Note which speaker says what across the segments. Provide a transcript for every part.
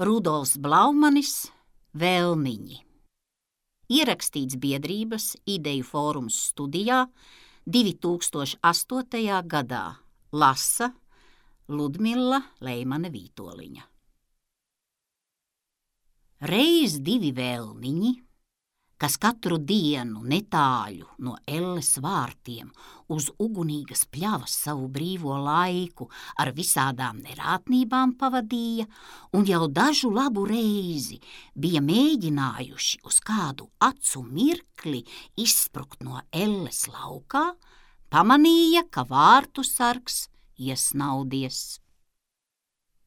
Speaker 1: Rudolfs Blaumanis, Vēlniņi. Ierakstīts biedrības Ideju fórums studijā 2008. gadā. Lasa Ludmila Leimane-Vītoliņa. Reiz divi vēlniņi, kas katru dienu netāļu no Elles vārtiem uz ugunīgas pļavas savu brīvo laiku ar visādām nerātnībām pavadīja un jau dažu labu reizi bija mēģinājuši uz kādu acu mirkli izsprukt no Elles laukā, pamanīja, ka vārtu sargs iesnaudies.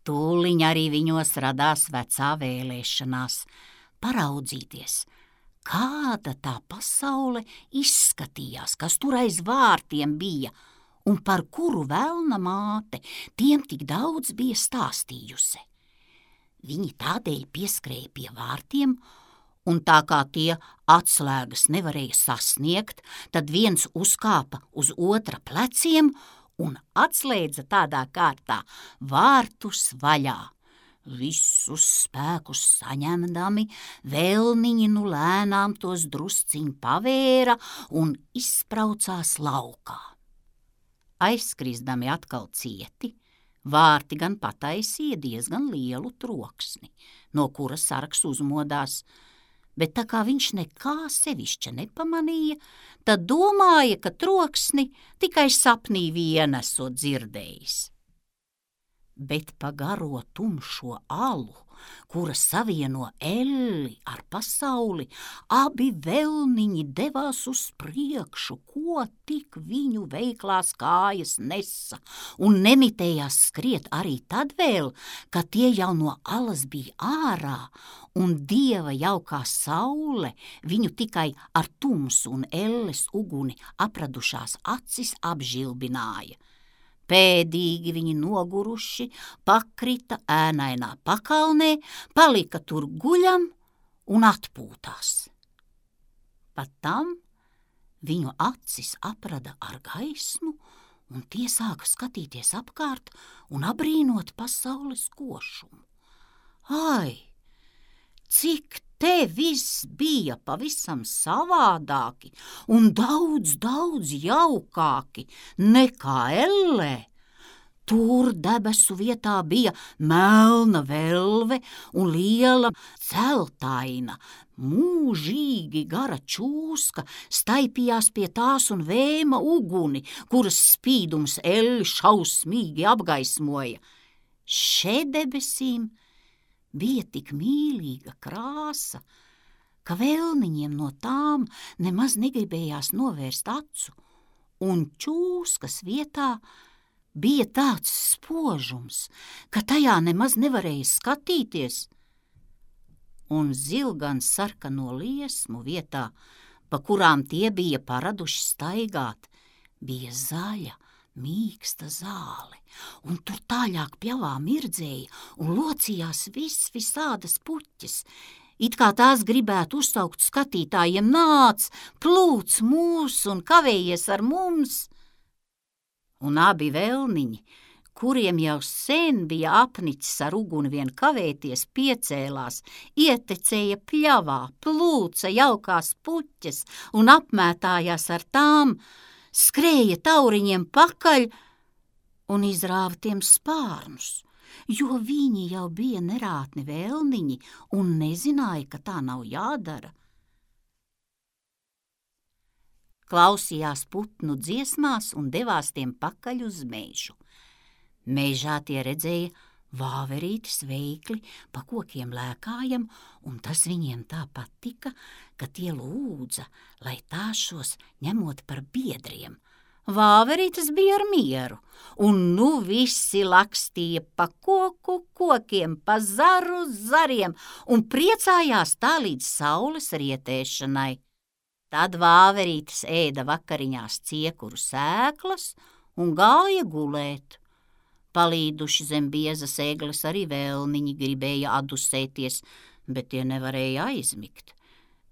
Speaker 1: Tūliņ arī viņos radās vecā vēlēšanās paraudzīties, kāda tā pasaule izskatījās, kas tur aiz vārtiem bija un par kuru velna māte tiem tik daudz bija stāstījusi. Viņi tādēļ pieskrēja pie vārtiem, un tā kā tie atslēgas nevarēja sasniegt, tad viens uzkāpa uz otra pleciem un atslēdza tādā kārtā vārtus vaļā. Visus spēkus saņemdami, vēlniņi nu lēnām tos drusciņ pavēra un izspraucās laukā. Aizskrizdami atkal cieti, vārti gan pataisīja diezgan lielu troksni, no kura sargs uzmodās, bet tā kā viņš nekā sevišķa nepamanīja, tad domāja, ka troksni tikai sapnī vien esot dzirdējis. Bet pa garo tumšo alu, kura savieno Elli ar pasauli, abi vēlniņi devās uz priekšu, ko tik viņu veiklās kājas nesa, un nemitējās skriet arī tad vēl, kad tie jau no alas bija ārā, un dieva jaukā saule viņu tikai ar tumsu un Elles uguni apradušās acis apžilbināja. Pēdīgi viņi noguruši, pakrita ēnainā pakalnē, palika tur guļam un atpūtās. Pat tam viņu acis aprada ar gaismu, un tie sāka skatīties apkārt un abrīnot pasaules košumu. Ai, cik te viss bija pavisam savādāki un daudz jaukāki nekā Ellē. Tur debesu vietā bija melna velve un liela celtaina, mūžīgi gara čūska staipījās pie tās un vēma uguni, kuras spīdums Elli šausmīgi apgaismoja. Šedebesīm bija tik mīlīga krāsa, ka vēlniņiem no tām nemaz negribējās novērst acu, un čūskas vietā bija tāds spožums, ka tajā nemaz nevarēja skatīties, un zilgan sarkano liesmu vietā, pa kurām tie bija paraduši staigāt, bija zaļa, mīksta zāle, un tur tāļāk pļavā mirdzēja un locījās visādas puķes, it kā tās gribētu uzsaukt skatītājiem: nāc, plūc mūs un kavējies ar mums. Un abi vēlniņi, kuriem jau sen bija apnicis ar uguni vien kavēties, piecēlās, ietecēja pļavā, plūca jaukās puķes un apmētājās ar tām, skrēja tauriņiem pakaļ un izrāva tiem spārnus, jo viņi jau bija nerātni vēlniņi un nezināja, ka tā nav jādara. Klausījās putnu dziesmās un devās tiem pakaļ uz mežu. Mežā tie redzēja vāverītis veikli pa kokiem lēkājam, un tas viņiem tā patika, ka tie lūdza, lai tā šos ņemot par biedriem. Vāverītis bija ar mieru, un nu visi lakstīja pa kokiem, pa zariem un priecājās tā līdz saules rietēšanai. Tad vāverītis ēda vakariņās ciekuru sēklas un gāja gulēt. Palīduši zem biezas egles arī vēlniņi gribēja adusēties, bet tie nevarēja aizmigt.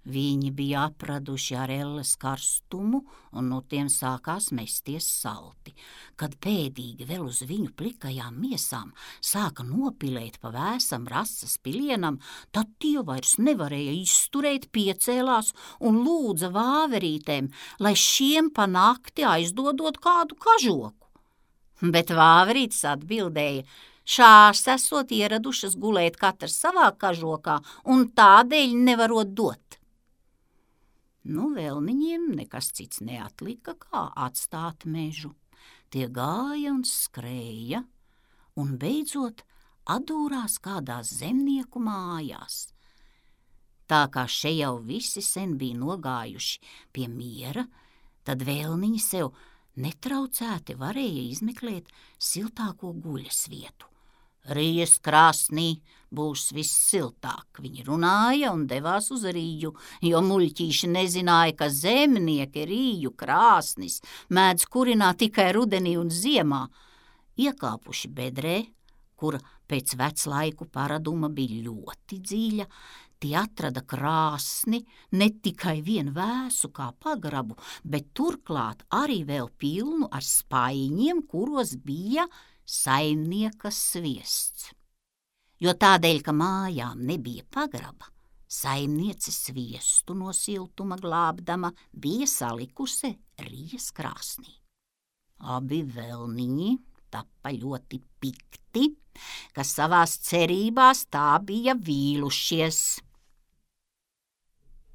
Speaker 1: Viņi bija apraduši ar elles karstumu, un no tiem sākās mesties salti. Kad pēdīgi vēl uz viņu plikajām miesām sāka nopilēt pa vēsam rases pilienam, tad tie vairs nevarēja izturēt, piecēlās un lūdza vāverītēm, lai šiem pa nakti aizdodot kādu kažoku. Bet vāverītes atbildēja: šās esot ieradušas gulēt katrs savā kažokā un tādēļ nevarot dot. Vēlniņiem nekas cits neatlika, kā atstāt mežu. Tie gāja un skrēja, un beidzot atdūrās kādās zemnieku mājās. Tā kā še jau visi sen bija nogājuši pie miera, tad vēlniņi sev netraucēti varēja izmeklēt siltāko guļas vietu. Rījas krāsnī būs viss siltāk, viņi runāja un devās uz Rīju, jo muļķīši nezināja, ka zemnieki Rīju krāsnis mēdz kurināt tikai rudenī un ziemā. Iekāpuši bedrē, kura pēc veclaiku paraduma bija ļoti dziļa, tie atrada krāsni ne tikai vien vēsu kā pagrabu, bet turklāt arī vēl pilnu ar spaiņiem, kuros bija saimnieka sviests. Jo tādēļ, ka mājām nebija pagraba, saimniece sviestu no siltuma glābdama bija salikusi Rījas krāsnī. Abi vēlniņi tapa ļoti pikti, ka savās cerībās tā bija vīlušies.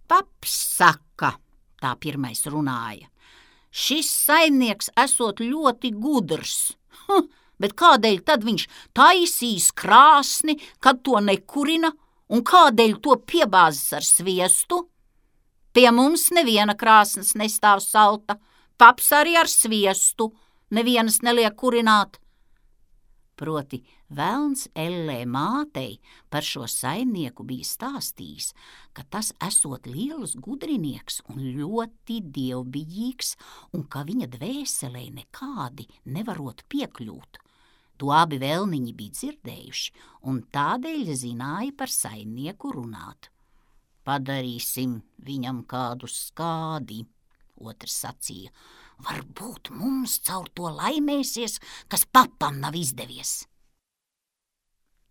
Speaker 1: Paps saka, tā pirmais runāja, šis saimnieks esot ļoti gudrs, bet kādēļ tad viņš taisīs krāsni, kad to nekurina, un kādēļ to piebāzes ar sviestu? Pie mums neviena krāsnes nestāv salta, paps arī ar sviestu nevienas neliek kurināt. Proti, velns ellē mātei par šo saimnieku bija stāstījis, ka tas esot liels gudrinieks un ļoti dievbijīgs, un ka viņa dvēselē nekādi nevarot piekļūt. To abi vēlniņi bija dzirdējuši, un tādēļ zināja par saimnieku runāt. Padarīsim viņam kādu skādi, otrs sacīja. Varbūt mums caur to laimēsies, kas papam nav izdevies.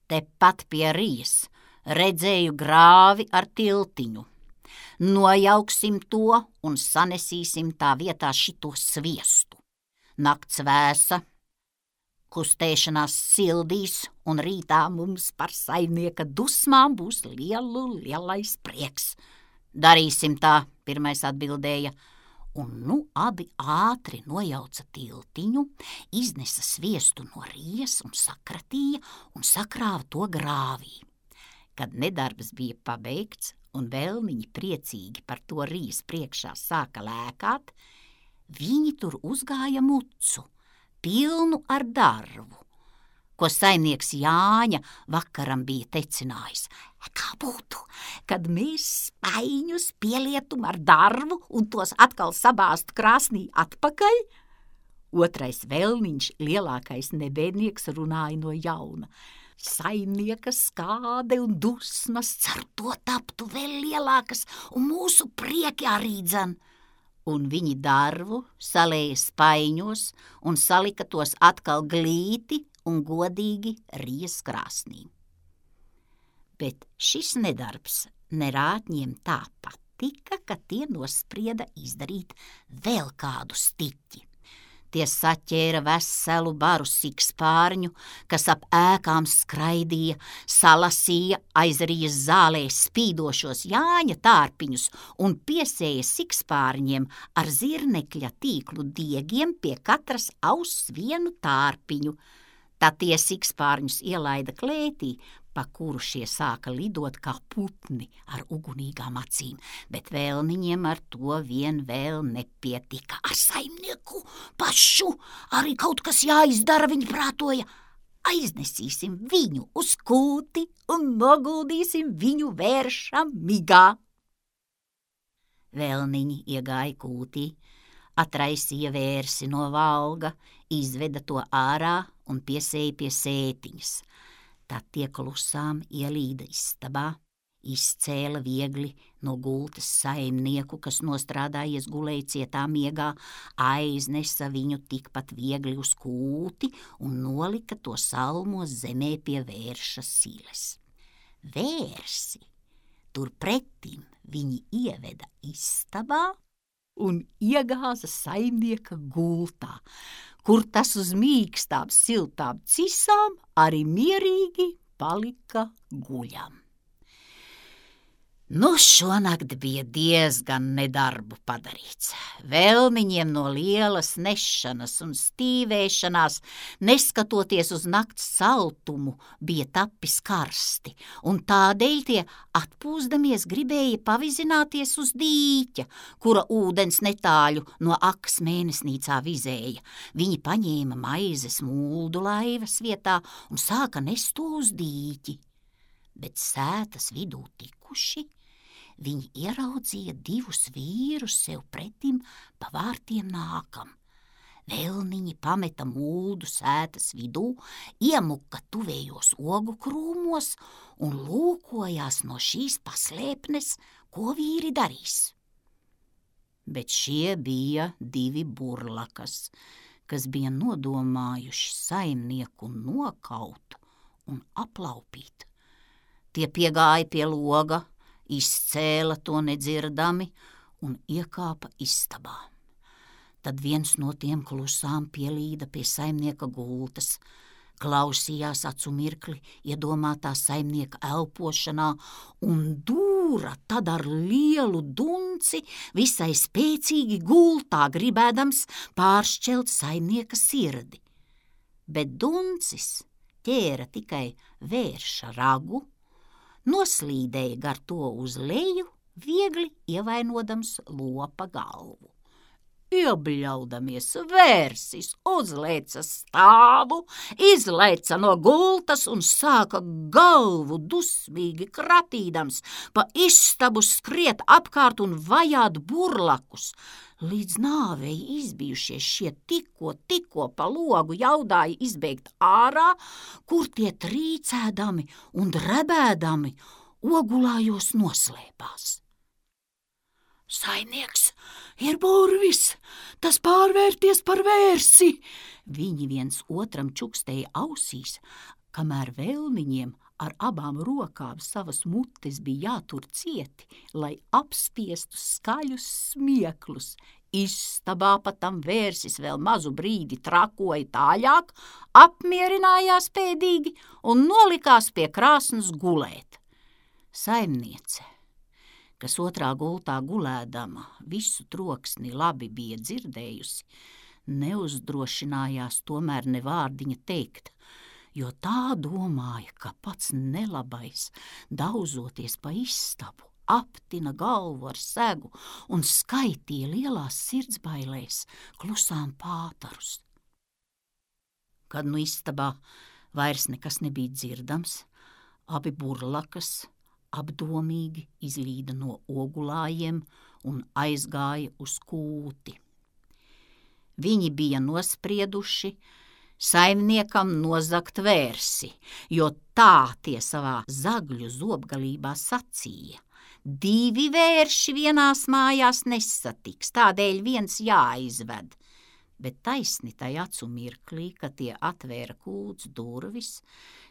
Speaker 1: Tepat pie Rījas redzēju grāvi ar tiltiņu. Nojauksim to un sanesīsim tā vietā šito sviestu. Nakts vēsa, kustēšanās sildīs, un rītā mums par saimnieka dusmām būs lielais prieks. Darīsim tā, pirmais atbildēja. Un abi ātri nojauca tiltiņu, iznesa sviestu no Rījas un sakratīja un sakrāva to grāvī. Kad nedarbs bija pabeigts un vēlniņi priecīgi par to Rījas priekšā sāka lēkāt, viņi tur uzgāja mucu, pilnu ar darbu, ko saimnieks Jāņa vakaram bija tecinājis. Kā būtu, kad mēs spaiņus pielietum ar darbu un tos atkal sabāzt krāsnī atpakaļ? Otrais vēlniņš, lielākais nebēdnieks, runāja no jauna. Saimnieka skāde un dusmas cer to taptu vēl lielākas un mūsu prieki arī dzen. Un viņi darbu salēja spaiņos un salika tos atkal glīti un godīgi Rījas krāsnī. Bet šis nedarbs nerātņiem tā patika, ka tie nosprieda izdarīt vēl kādu stiķi. Tie saķēra veselu baru sikspārņu, kas ap ēkām skraidīja, salasīja aiz Rījas zālē spīdošos Jāņa tārpiņus un piesēja sikspārņiem ar zirnekļa tīklu diegiem pie katras auss vienu tārpiņu. Tad tie sikspārņus ielaida klētī, pa kuru šie sāka lidot kā putni ar ugunīgām acīm, bet vēlniņiem ar to vien vēl nepietika. Ar saimnieku pašu arī kaut kas jāizdara, viņi prātoja. Aiznesīsim viņu uz kūti un noguldīsim viņu vērša migā. Vēlniņi iegāja kūtī, atraisīja vērsi no valga, izveda to ārā un piesēja pie sētiņas. Tad tie klusām ielīda istabā, Izcēla viegli no gultas saimnieku, kas nostrādājies gulēja cietā miegā, aiznesa viņu tikpat viegli uz kūti un nolika to salmos zemē pie vērša siles. Vērsi turpretim viņi ieveda istabā un iegāza saimnieka gultā, kur tas uz mīkstām, siltām cisām arī mierīgi palika guļam. Nu, šonakt bija diezgan nedarbu padarīts. Velniņiem no lielas nešanas un stīvēšanās, neskatoties uz nakts saltumu, bija tapis karsti, un tādēļ tie atpūsdamies gribēja pavizināties uz dīķa, kura ūdens netāļu no Akas mēnesnīcā vizēja. Viņi paņēma maizes muldu laivas vietā un sāka nest to uz dīķi. Bet sētas vidū tikuši, viņi ieraudzīja divus vīrus sev pretim pa vārtiem nākam. Velniņi pameta muldu sētas vidū, iemuka tuvējos ogu krūmos un lūkojās no šīs paslēpnes, ko vīri darīs. Bet šie bija divi burlakas, kas bija nodomājuši saimnieku nokaut un aplaupīt. Tie piegāja pie loga, izcēla to nedzirdami un iekāpa istabā. Tad viens no tiem klusām pielīda pie saimnieka gultas, klausījās acu mirkli iedomātā saimnieka elpošanā un dūra tad ar lielu dunci visai spēcīgi gultā, gribēdams pāršķelt saimnieka sirdi. Bet duncis ķēra tikai vērša ragu, noslīdēja gar to uz leju, viegli ievainodams lopa galvu. Iebļaudamies, vērsis uzlēca stāvu, izlēca no gultas un sāka galvu dusmīgi kratīdams pa istabu skriet apkārt un vajāt burlakus. Līdz nāvei izbijušies šie tikko pa logu jaudāja izbēgt ārā, kur tie trīcēdami un drebēdami ogulājos noslēpās. Saimnieks ir burvis, tas pārvērties par vērsi! Viņi viens otram čukstēja ausīs, kamēr velniņiem ar abām rokām savas mutes bija jātur cieti, lai apspiestu skaļus smieklus. Istabā patam vērsis vēl mazu brīdi trakoja tāļāk, apmierinājās pēdīgi un nolikās pie krāsnas gulēt. Saimniece, kas otrā gultā gulēdama visu troksni labi bija dzirdējusi, neuzdrošinājās tomēr ne vārdiņa teikt, jo tā domāja, ka pats nelabais, dauzoties pa istabu, aptina galvu ar segu un skaitīja lielās sirdsbailēs klusām pātarus. Kad nu istabā vairs nekas nebija dzirdams, abi burlakas apdomīgi izlīda no ogulājiem un aizgāja uz kūti. Viņi bija nosprieduši saimniekam nozagt vērsi, jo tā tie savā zagļu zobgalībā sacīja. Divi vērši vienās mājās nesatiks, tādēļ viens jāizved. Bet taisni tai acu mirklī, kad tie atvēra kūts durvis,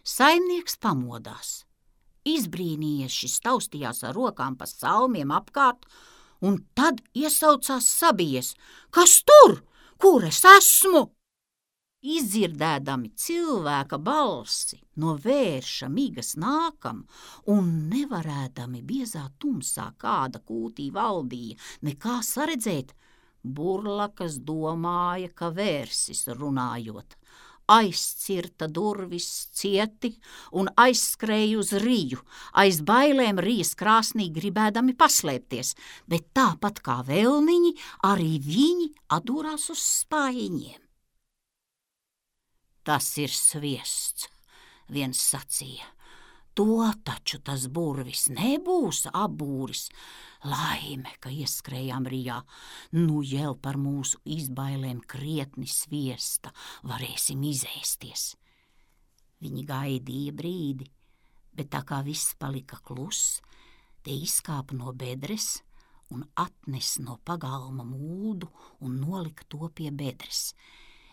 Speaker 1: saimnieks pamodās. Izbrīnījies šis taustījās ar rokām pa salmiem apkārt, un tad iesaucās sabijies. Kas tur? Kur es esmu? Izdzirdēdami cilvēka balsi no vērša migas nākam un nevarēdami biezā tumsā kāda kūtī valdīja nekā saredzēt, burlakas domāja, ka vērsis runājot. Aizcirta durvis cieti un aizskrēja uz riju, aiz bailēm rijas krāsnī gribēdami paslēpties, bet tāpat kā velniņi, arī viņi atdūrās uz spaiņiem. Tas ir sviests, viens sacīja. To taču tas burvis nebūs apbūris. Laime, ka ieskrējām rijā, nu jau par mūsu izbailēm krietni sviesta varēsim izēsties. Viņi gaidīja brīdi, bet tā kā viss palika kluss, Te izkāpa no bedres un atnes no pagalma mūdu un nolika to pie bedres.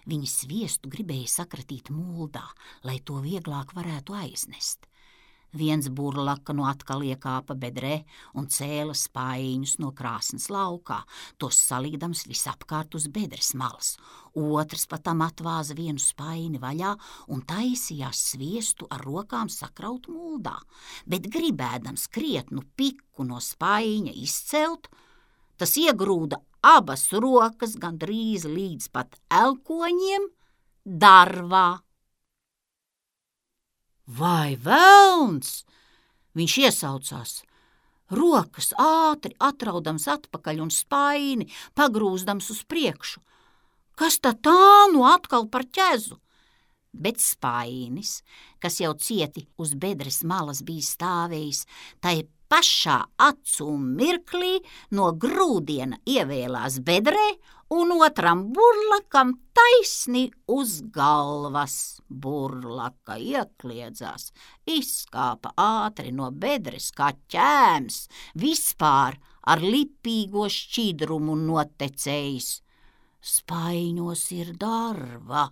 Speaker 1: Viņi sviestu gribēja sakratīt muldā, lai to vieglāk varētu aiznest. Viens burlaka no atkal iekāpa bedrē un cēla spaiņus no krāsnes laukā, tos salīdams visapkārt uz bedres malas. Otrs patam atvāza vienu spaini vaļā un taisījās sviestu ar rokām sakraut muldā, bet gribēdams krietnu piku no spaiņa izcelt, tas iegrūda abas rokas gandrīz līdz pat elkoņiem darvā. Vai velns! Viņš iesaucās. Rokas ātri atraudams atpakaļ un spaini pagrūzdams uz priekšu. Kas tā nu atkal par ķezu? Bet spainis, kas jau cieti uz bedres malas bija stāvējis, tai pašā acu mirklī no grūdiena ievēlās bedrē un otram burlakam taisni uz galvas. Burlaka iekliedzās, izskāpa ātri no bedres kā ķēms, vispār ar lipīgo šķidrumu notecējis. Spaiņos ir darva.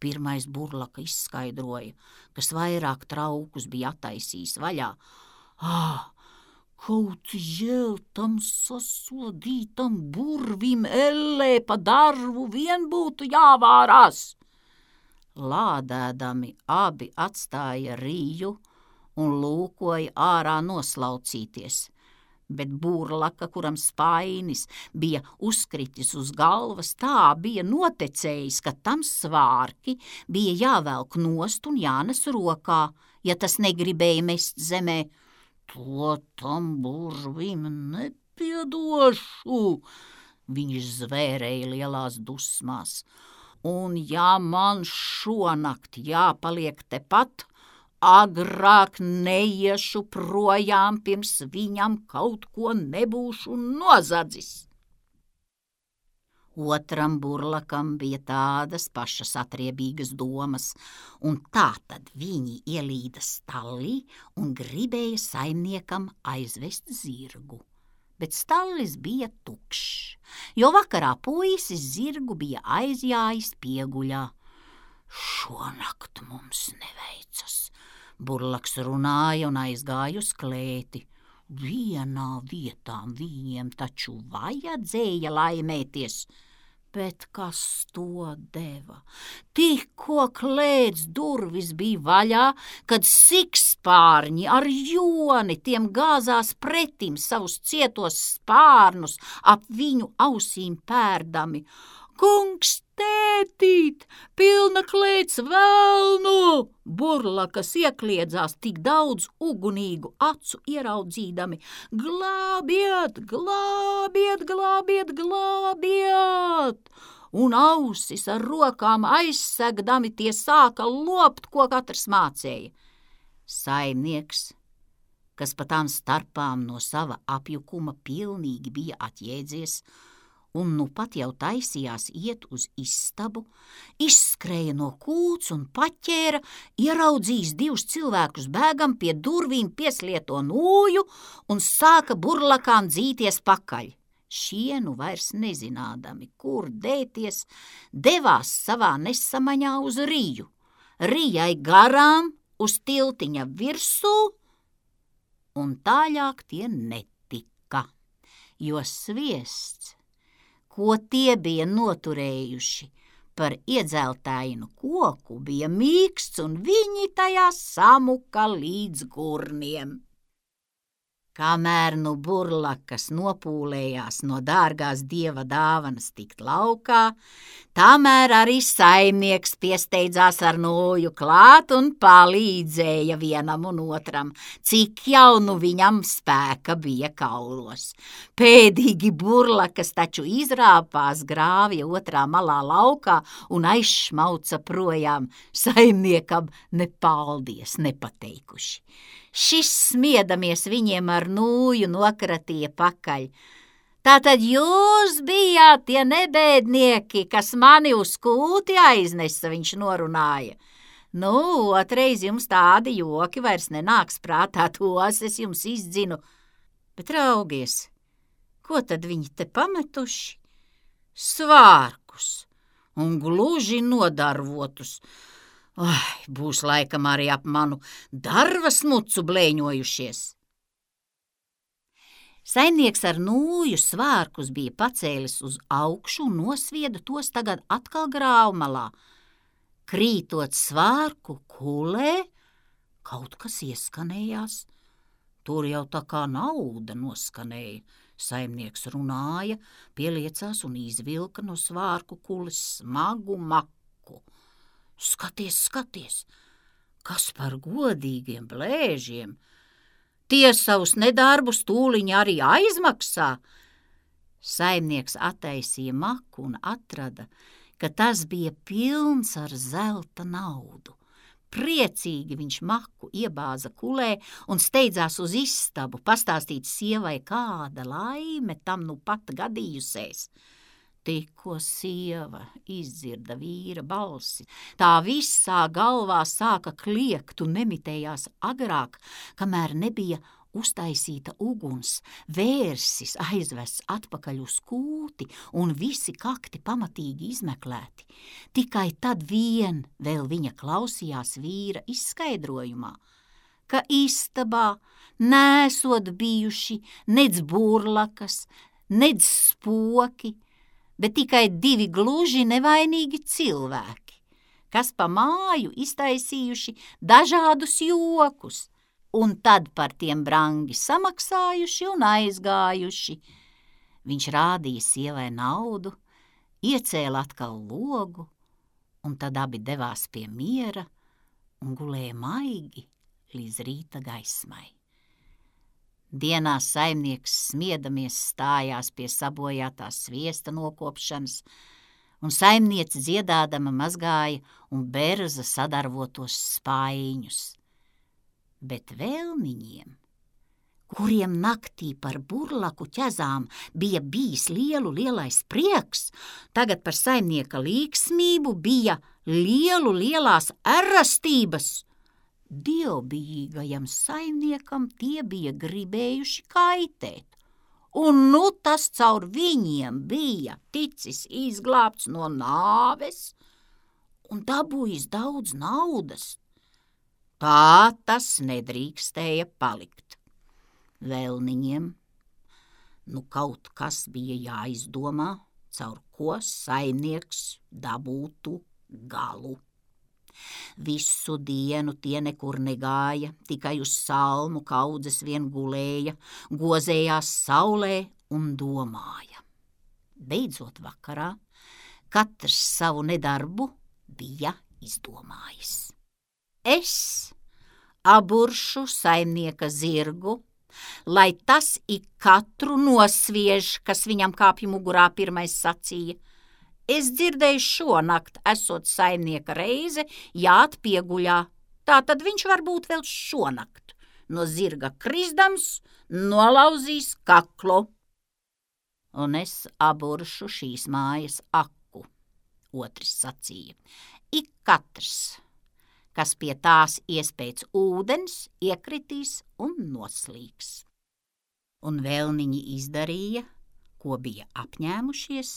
Speaker 1: Pirmais burlaka izskaidroja, kas vairāk traukus bija attaisījis vaļā. Kaut jēl tam sasodītam burvim ellē pa darvu vien būtu jāvārās. Lādēdami abi atstāja rīju un lūkoja ārā noslaucīties, bet burlaka, kuram spainis bija uzkritis uz galvas, tā bija notecējis, ka tam svārki bija jāvelk nost un jānes rokā, ja tas negribēja mest zemē. To tam burvim nepiedošu, viņš zvērēja lielās dusmās. Un ja man šonakt jāpaliek tepat, agrāk neiešu projām, pirms viņam kaut ko nebūšu nozadzis. Otram burlakam bija tādas pašas atriebīgas domas, un tā tad viņi ielīda stallī un gribēja saimniekam aizvest zirgu. Bet stallis bija tukšs, jo vakarā puisis zirgu bija aizjājis pieguļā. Šonakt mums neveicas, burlaks runāja un aizgāja uz klēti. Vienā vietā viņiem taču vajadzēja laimēties, bet kas to deva? Tikko klēts durvis bija vaļā, kad sikspārņi ar joni tiem gāzās pretim savus cietos spārnus ap viņu ausīm pērdami. Kungs, tētīt, pilna klēts velnu! Burlakas iekliedzās tik daudz ugunīgu acu ieraudzīdami. Glābiet, glābiet, glābiet, glābiet! Un ausis ar rokām aizsegdami tie sāka lopt, ko katrs mācēja. Saimnieks, kas pa tām starpām no sava apjukuma pilnīgi bija atjēdzies, un nu pat jau taisījās iet uz istabu, izskrēja no kūts un paķēra, ieraudzījis divus cilvēkus bēgam pie durvīm pieslieto nūju un sāka burlakām dzīties pakaļ. Šie nu vairs nezinādami, kur dēties, devās savā nesamaņā uz riju, rijai garām uz tiltiņa virsū, un tāļāk tie netika, jo sviests, ko tie bija noturējuši par iedzeltainu koku, bija mīksts un viņi tajā samuka līdz gurniem. Kamēr nu burlakas nopūlējās no dārgās dieva dāvanas tikt laukā, tamēr arī saimnieks piesteidzās ar nūju klāt un palīdzēja vienam un otram, cik jau nu viņam spēka bija kaulos. Pēdīgi burlakas taču izrāpās grāvja otrā malā laukā un aizšmauca projām, saimniekam ne paldies nepateikuši. Šis smiedamies viņiem ar nūju nokratīja pakaļ. Tātad jūs bijāt tie nebēdnieki, kas mani uz kūti aiznesa, viņš norunāja. Nu, otreiz jums tādi joki vairs nenāks prātā, tos es jums izdzinu. Bet raugies, ko tad viņi te pametuši? Svārkus un gluži nodarvotus. Būs laikam arī ap manu darvas mucu blēņojušies. Saimnieks ar nūju svārkus bija pacēlis uz augšu un nosvieda tos tagad atkal grāvmalā. Krītot svārku kulē, kaut kas ieskanējās. Tur jau tā kā nauda noskanēja. Saimnieks runāja, pieliecās un izvilka no svārku kules smagu maku. Skaties, skaties, kas par godīgiem blēžiem! Tie savus nedarbus tūliņ arī aizmaksā. Saimnieks attaisīja maku un atrada, ka tas bija pilns ar zelta naudu. Priecīgi viņš maku iebāza kulē un steidzās uz istabu pastāstīt sievai, kāda laime tam nu pat gadījusies. Tikko sieva izdzirda vīra balsi, tā visā galvā sāka kliegt un nemitējās agrāk, kamēr nebija uztaisīta uguns, vērsis aizvests atpakaļ uz kūti un visi kakti pamatīgi izmeklēti. Tikai tad vien vēl viņa klausījās vīra izskaidrojumā, ka istabā nesot bijuši nec burlakas, nec spoki, bet tikai 2 gluži nevainīgi cilvēki, kas pa māju iztaisījuši dažādus jokus, un tad par tiem brangi samaksājuši un aizgājuši. Viņš rādīja sievai naudu, iecēla atkal logu, un tad abi devās pie miera un gulēja maigi līdz rīta gaismai. Dienā saimnieks smiedamies stājās pie sabojātās sviesta nokopšanas, un saimniece dziedādama mazgāja un berza sadarvotos spaiņus. Bet vēlniņiem, kuriem naktī par burlaku ķezām bija bijis lielais prieks, tagad par saimnieka līksmību bija lielās erastības. Dievbijīgajam saimniekam tie bija gribējuši kaitēt, un nu tas caur viņiem bija ticis izglābts no nāves un dabūjis daudz naudas. Tā tas nedrīkstēja palikt. Vēlniņiem nu kaut kas bija jāizdomā, caur ko saimnieks dabūtu galu. Visu dienu tie nekur negāja, tikai uz salmu kaudzes vien gulēja, gozējās saulē un domāja. Beidzot vakarā katrs savu nedarbu bija izdomājis. Es aburšu saimnieka zirgu, lai tas ik katru nosviež, kas viņam kāpj mugurā pirmais sacīja. Es dzirdēju šonakt, esot saimnieka reize, jāt pieguļā, tā tad viņš varbūt vēl šonakt no zirga krizdams nolauzīs kaklu. Un es aburšu šīs mājas aku, otrs sacīja. Ik katrs, kas pie tās ies pēc ūdens, iekritīs un noslīgs. Un vēlniņi izdarīja, ko bija apņēmušies,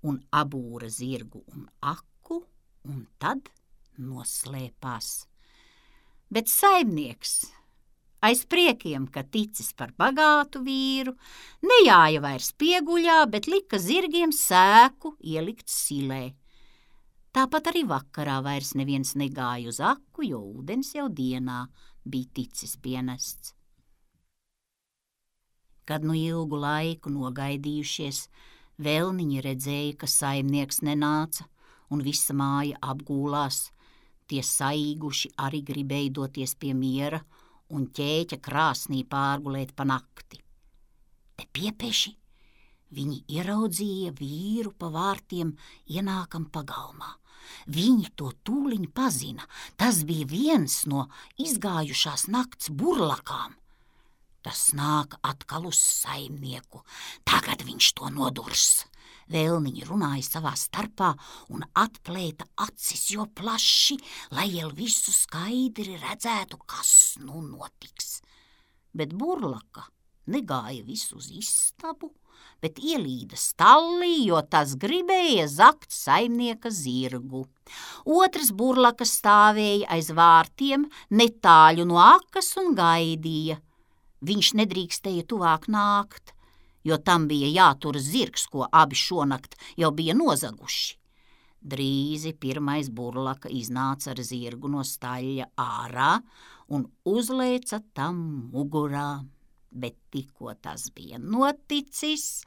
Speaker 1: un abūra zirgu un aku, un tad noslēpās. Bet saimnieks, aiz priekiem, ka ticis par bagātu vīru, nejāja vairs pieguļā, bet lika zirgiem sēku ielikt silē. Tāpat arī vakarā vairs neviens negāja uz aku, jo ūdens jau dienā bija ticis pienests. Kad nu ilgu laiku nogaidījušies, vēlniņi redzēja, ka saimnieks nenāca, un visa māja apgūlās. Tie saīguši arī gribēja doties pie miera un ķēķa krāsnī pārgulēt pa nakti. Te piepeši viņi ieraudzīja vīru pa vārtiem ienākam pagalmā. Viņi to tūliņ pazina. Tas bija viens no izgājušās nakts burlakām. Tas nāk atkal uz saimnieku. Tagad viņš to nodurs. Vēlniņi runāja savā starpā un atplēta acis jo plaši, lai jau visu skaidri redzētu, kas nu notiks. Bet burlaka negāja visu uz istabu, bet ielīda stallī, jo tas gribēja zakt saimnieka zirgu. Otrs burlaka stāvēja aiz vārtiem netāļu no akas un gaidīja. Viņš nedrīkstēja tuvāk nākt, jo tam bija jātur zirgs, ko abi šonakt jau bija nozaguši. Drīzi pirmais burlaka iznāca ar zirgu no staļļa ārā un uzlēca tam mugurā. Bet tikko tas bija noticis,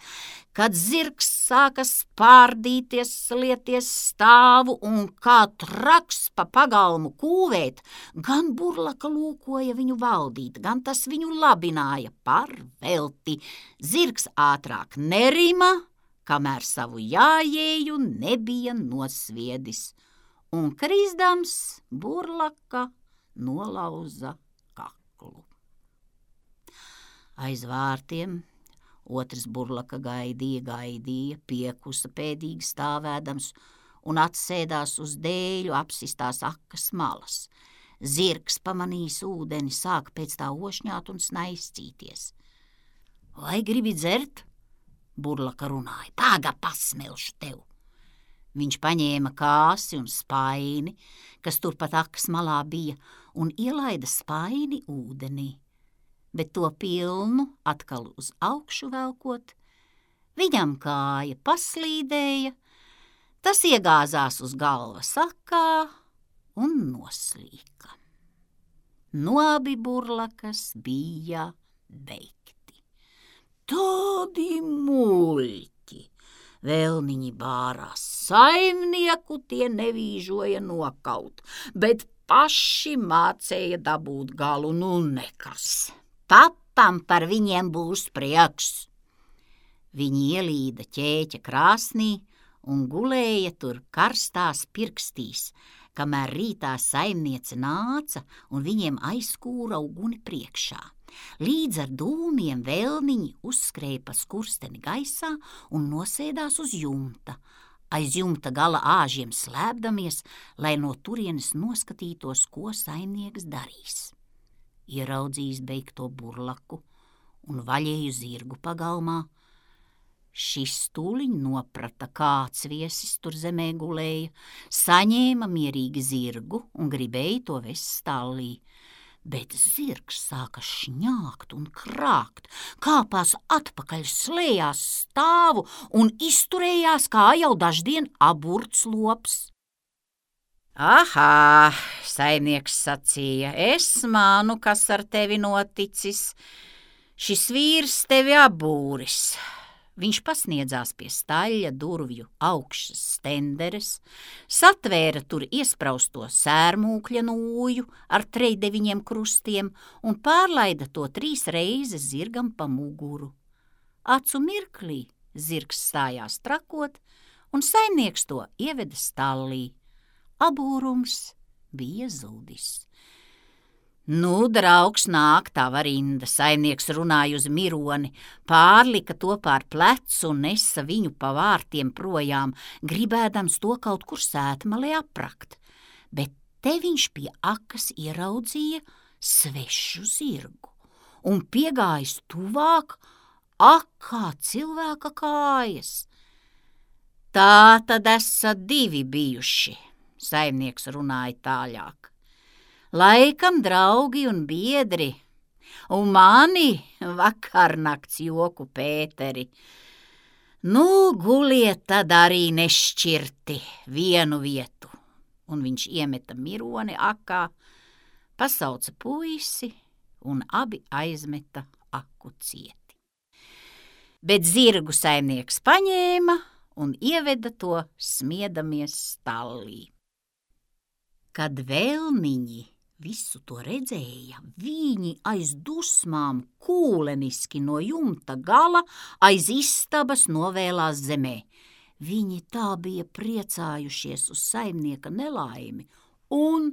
Speaker 1: kad zirgs sāka spārdīties, slieties stāvu un kā traks pa pagalmu kūvēt, gan burlaka lūkoja viņu valdīt, gan tas viņu labināja par velti. Zirgs ātrāk nerima, kamēr savu jājēju nebija nosviedis, un krizdams burlaka nolauza kaklu. Aiz vārtiem otrs burlaka gaidīja, piekusa pēdīgi stāvēdams un atsēdās uz dēļu apsistās akas malas. Zirgs pamanījis ūdeni, sāk pēc tā ošņāt un snaiscīties. Vai gribi dzert? Burlaka runāja, pāga pasmelšu tev. Viņš paņēma kāsi un spaini, kas turpat akas malā bija, un ielaida spaini ūdenī. Bet to pilnu atkal uz augšu velkot, viņam kāja paslīdēja, tas iegāzās uz galvas akā un noslīka. No abi burlakas bija beigti. Tādi muļķi! Vēlniņi bārās saimnieku, tie nevīžoja nokaut, bet paši mācēja dabūt galu, nu nekas. Papam par viņiem būs prieks. Viņi ielīda ķēķa krāsnī un gulēja tur karstās pirkstīs, kamēr rītā saimniece nāca un viņiem aizkūra uguni priekšā. Līdz ar dūmiem vēlniņi uzskrēja pa skursteni gaisā un nosēdās uz jumta, aiz jumta gala āžiem slēpdamies, lai no turienes noskatītos, ko saimnieks darīs. Ieraudzījis beigto burlaku un vaļēju zirgu pagalmā. Šis tūliņ noprata, kāds viesis tur zemē gulēja, saņēma mierīgi zirgu un gribēja to vest stallī. Bet zirgs sāka šņākt un krākt, kāpās atpakaļ, slējās stāvu un izturējās kā jau daždien aburts lops. Ahā, saimnieks sacīja, es mānu, kas ar tevi noticis. Šis vīrs tevi abūris. Viņš pasniedzās pie staļļa durvju augšas stenderes, satvēra tur iesprausto sērmūkļa nūju ar 39 krustiem un pārlaida to 3 reizes zirgam pa muguru. Acu mirklī zirgs stājās trakot, un saimnieks to ieveda stallī. Abūrums bija zudis. Nu, draugs, nāk tava rinda, saimnieks runāja uz mironi, pārlika to pār plecu un nesa viņu pa vārtiem projām, gribēdams to kaut kur sētmalē aprakt. Bet te viņš pie akas ieraudzīja svešu zirgu un piegājis tuvāk, akā cilvēka kājas. Tā tad esat 2 bijuši, saimnieks runāja tāļāk. Laikam draugi un biedri, un mani vakarnakts joku Pēteri. Nu, guliet tad arī nešķirti vienu vietu. Un viņš iemeta mironi akā, pasauca puisi, un abi aizmeta aku cieti. Bet zirgu saimnieks paņēma un ieveda to smiedamies stallī. Kad vēlniņi visu to redzēja, viņi aiz dusmām kūleniski no jumta gala aiz istabas novēlās zemē. Viņi tā bija priecājušies uz saimnieka nelaimi, un,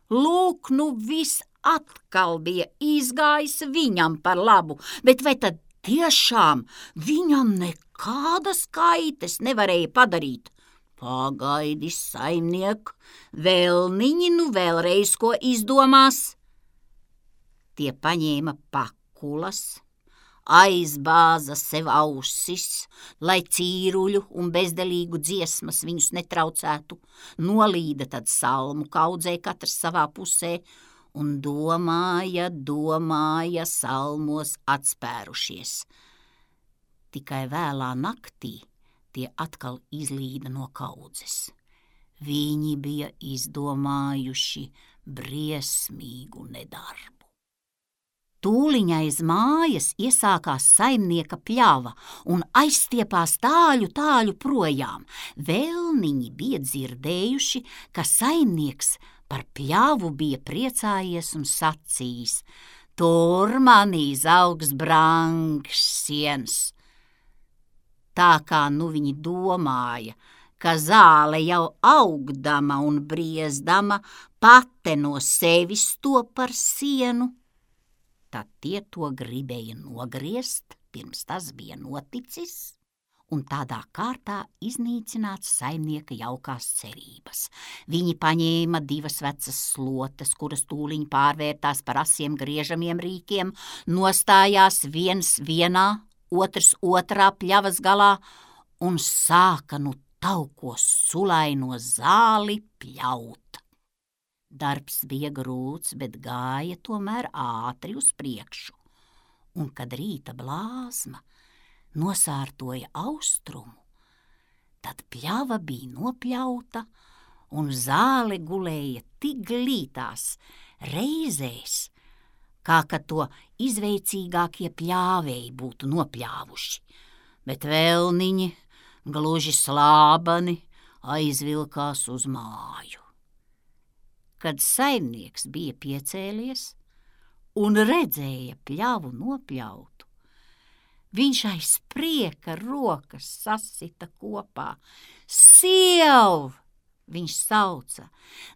Speaker 1: lūk, nu viss atkal bija izgājis viņam par labu, bet vai tad tiešām viņam nekādas kaites nevarēja padarīt? Pagaidi, saimniek, vēlniņi nu vēlreiz ko izdomās. Tie paņēma pakulas, aizbāza sev ausis, lai cīruļu un bezdelīgu dziesmas viņus netraucētu, nolīda tad salmu kaudzē katrs savā pusē un domāja salmos atspērušies. Tikai vēlā naktī tie atkal izlīda no kaudzes. Viņi bija izdomājuši briesmīgu nedarbu. Tūliņ aiz mājas iesākās saimnieka pļava un aizstiepās tāļu projām. Vēlniņi bija dzirdējuši, ka saimnieks par pļavu bija priecājies un sacījis: tur manī zaugs brangs siens. Tā kā nu viņi domāja, ka zāle jau augdama un briezdama pate no sevis to par sienu, tad tie to gribēja nogriezt, pirms tas bija noticis, un tādā kārtā iznīcināts saimnieka jaukās cerības. Viņi paņēma 2 vecas slotes, kuras tūliņ pārvērtās par asiem griežamiem rīkiem, nostājās viens vienā, otrs otrā pļavas galā un sāka nu tauko sulaino zāli pļaut. Darbs bija grūts, bet gāja tomēr ātri uz priekšu, un kad rīta blāzma nosārtoja austrumu, tad pļava bija nopļauta un zāle gulēja tik glītās reizēs, kā kad to izveicīgākie pļāvēji būtu nopļāvuši, bet vēlniņi gluži slābani aizvilkās uz māju. Kad saimnieks bija piecēlies un redzēja pļavu nopļautu, viņš aiz prieka rokas sasita kopā. Siev! Viņš sauca: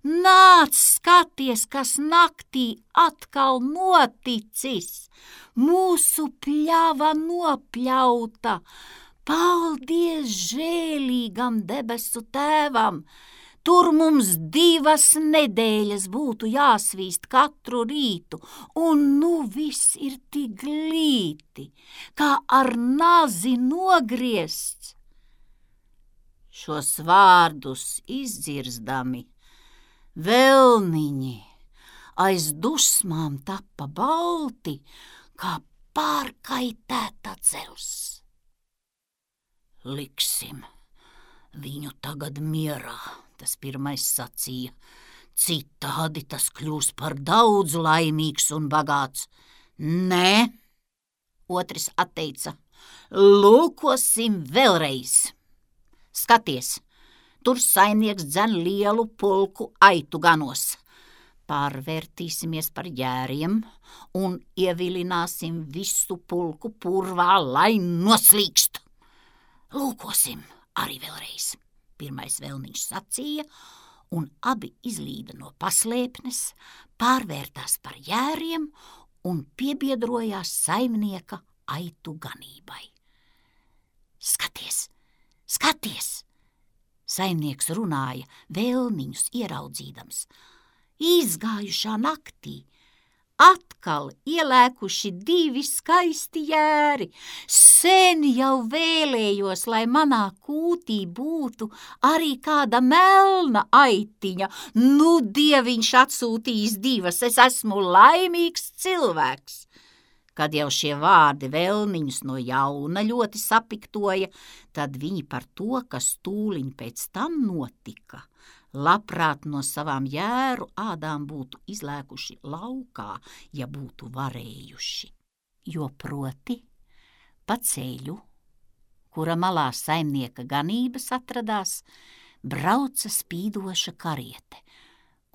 Speaker 1: nāc skaties, kas naktī atkal noticis! Mūsu pļava nopļauta! Paldies žēlīgam debesu tēvam! Tur mums 2 nedēļas būtu jāsvīst katru rītu, un nu viss ir tik glīti, kā ar nazi nogriezts. Šos vārdus izdzirzdami, vēlniņi aiz dusmām tappa balti, kā pārkaitēta dzelzs. Liksim viņu tagad mierā, tas pirmais sacīja, citādi tas kļūs par daudz laimīgs un bagāts. Nē, otrs atteica, lūkosim vēlreiz. Skaties, tur saimnieks dzen lielu pulku aitu ganos. Pārvērtīsimies par jēriem un ievilināsim visu pulku purvā, lai noslīkst. Lūkosim arī vēlreiz, pirmais vēlniņš sacīja, un abi izlīda no paslēpnes, pārvērtās par jēriem un piebiedrojās saimnieka aitu ganībai. Skaties! Skaties! Saimnieks runāja, vēlniņus ieraudzīdams. Izgājušā naktī atkal ielēkuši 2 skaisti jēri. Sen jau vēlējos, lai manā kūtī būtu arī kāda melna aitiņa. Nu, dieviņš atsūtījis 2, es esmu laimīgs cilvēks. Kad jau šie vārdi vēlniņus no jauna ļoti sapiktoja, tad viņi par to, kas tūliņ pēc tam notika, labprāt no savām jēru ādām būtu izlēkuši laukā, ja būtu varējuši. Jo proti pa ceļu, kura malā saimnieka ganības atradās, brauca spīdoša kariete,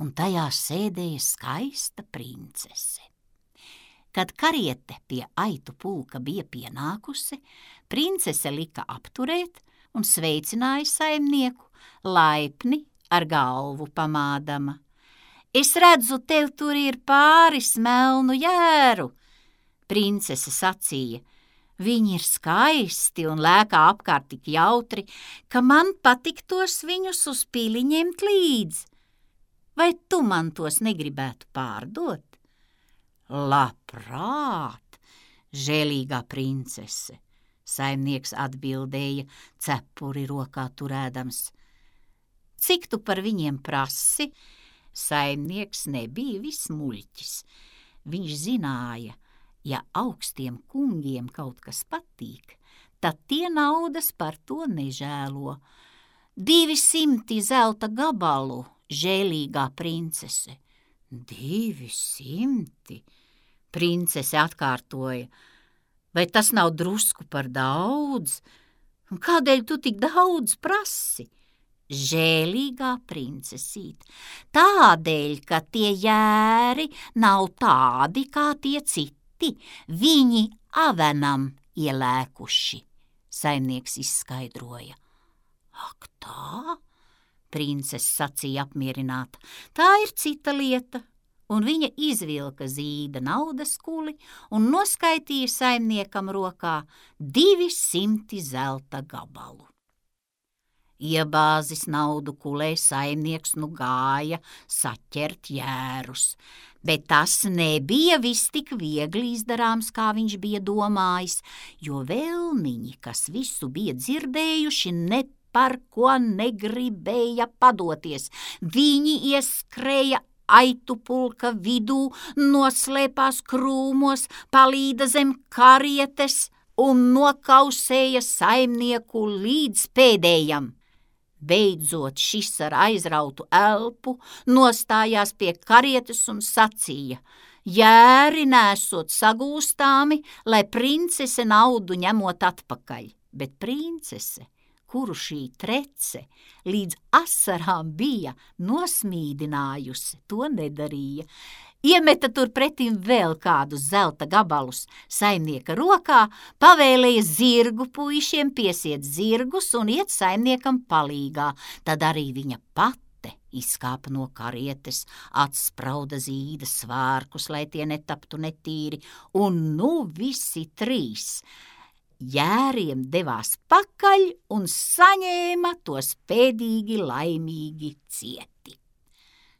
Speaker 1: un tajā sēdēja skaista princese. Kad kariete pie aitu pulka bija pienākusi, princese lika apturēt un sveicināja saimnieku, laipni ar galvu pamādama. Es redzu, tev tur ir pāris melnu jēru, princese sacīja. Viņi ir skaisti un lēkā apkārt tik jautri, ka man patiktos viņus uz pili ņemt līdzi. Vai tu man tos negribētu pārdot? Labprāt, Žēlīgā princese, saimnieks atbildēja, cepuri rokā turēdams. Cik tu par viņiem prasi? Saimnieks nebija vismuļķis. Viņš zināja, ja augstiem kungiem kaut kas patīk, tad tie naudas par to nežēlo. 200 zelta gabalu, žēlīgā princese. 200? Princese atkārtoja. Vai tas nav drusku par daudz? Kādēļ tu tik daudz prasi? Žēlīgā princesīt, tādēļ, ka tie jēri nav tādi kā tie citi, viņi avenam ielēkuši, saimnieks izskaidroja. Ak tā, princese sacīja apmierināta, tā ir cita lieta, un viņa izvilka zīda naudas kuli un noskaitīja saimniekam rokā 200 zelta gabalu. Iebāzis naudu kulē, saimnieks nu gāja saķert jērus, bet tas nebija viss tik viegli izdarāms, kā viņš bija domājis, jo vēlniņi, kas visu bija dzirdējuši, ne par ko negribēja padoties. Viņi ieskrēja aitu pulka vidū, noslēpās krūmos, palīda zem karietes un nokausēja saimnieku līdz pēdējam. Beidzot šis ar aizrautu elpu nostājās pie karietes un sacīja, jēri nesot sagūstāmi, lai princese naudu ņemot atpakaļ, bet princese, kuru šī trece līdz asarām bija nosmīdinājusi, to nedarīja. Iemeta tur pretim vēl kādus zelta gabalus saimnieka rokā, pavēlēja zirgu puišiem piesiet zirgus un iet saimniekam palīgā. Tad arī viņa pate izkāpa no karietes, atsprauda zīda svārkus, lai tie netaptu netīri, un nu visi 3 jēriem devās pakaļ un saņēma tos pēdīgi laimīgi cieti.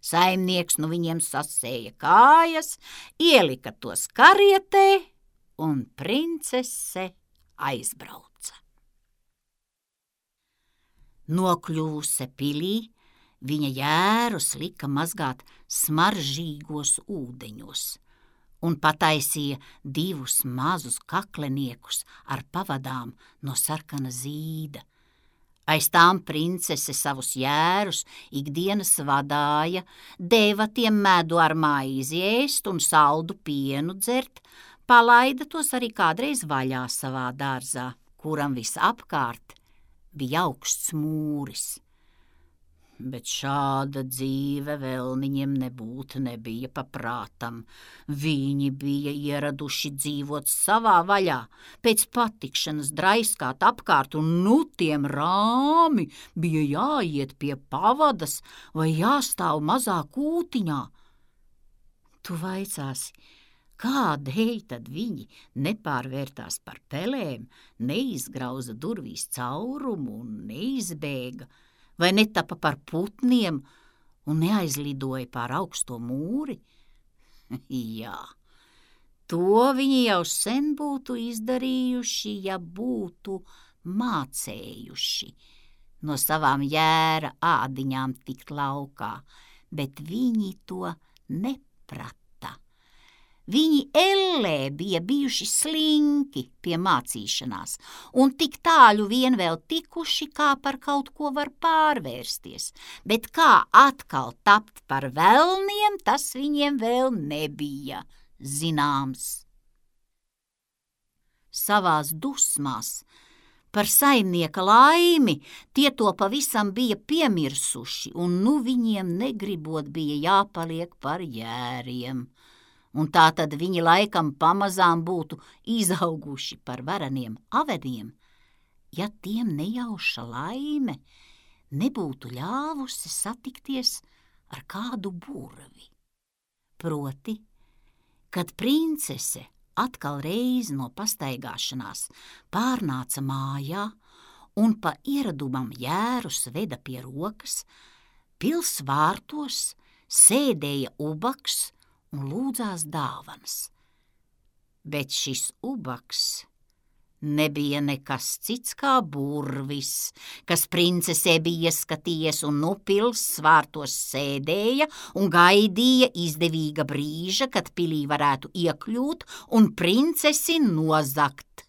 Speaker 1: Saimnieks nu viņiem sasēja kājas, ielika tos karietē, un princese aizbrauca. Nokļūse pilī, viņa jērus lika mazgāt smaržīgos ūdeņos un pataisīja 2 mazus kakleniekus ar pavadām no sarkana zīda. Aiz tām princese savus jērus ikdienas vadāja, deva tiem medu ar maizi ēst un saldu pienu dzert, palaida tos arī kādreiz vaļā savā dārzā, kuram visapkārt bija augsts mūris. Bet šāda dzīve vēlniņiem nebija paprātam. Viņi bija ieraduši dzīvot savā vaļā, pēc patikšanas draiskāt apkārt, un nu tiem rāmi bija jāiet pie pavadas vai jāstāv mazā kūtiņā. Tu vaicāsi, kādēļ tad viņi nepārvērtās par pelēm, neizgrauza durvīs caurumu un neizbēga, vai netapa par putniem un neaizlidoja pār augsto mūri? Jā, to viņi jau sen būtu izdarījuši, ja būtu mācējuši no savām jēra ādiņām tikt laukā, bet viņi to neprata. Viņi ellē bija bijuši slinki pie mācīšanās un tik tāļu vien vēl tikuši, kā par kaut ko var pārvērsties, bet kā atkal tapt par velniem, tas viņiem vēl nebija zināms. Savās dusmās par saimnieka laimi tie to pavisam bija piemirsuši, un nu viņiem negribot bija jāpaliek par jēriem. Un tā tad viņi laikam pamazām būtu izauguši par vareniem avediem, ja tiem nejauša laime nebūtu ļāvusi satikties ar kādu burvi. Proti, kad princese atkal reizi no pastaigāšanās pārnāca mājā un pa ieradumam jērus veda pie rokas, pils vārtos sēdēja ubaks un lūdzās dāvanas. Bet šis ubaks nebija nekas cits kā burvis, kas princesē bija ieskatījies un nu pils svārtos sēdēja un gaidīja izdevīga brīža, kad pilī varētu iekļūt un princesi nozagt.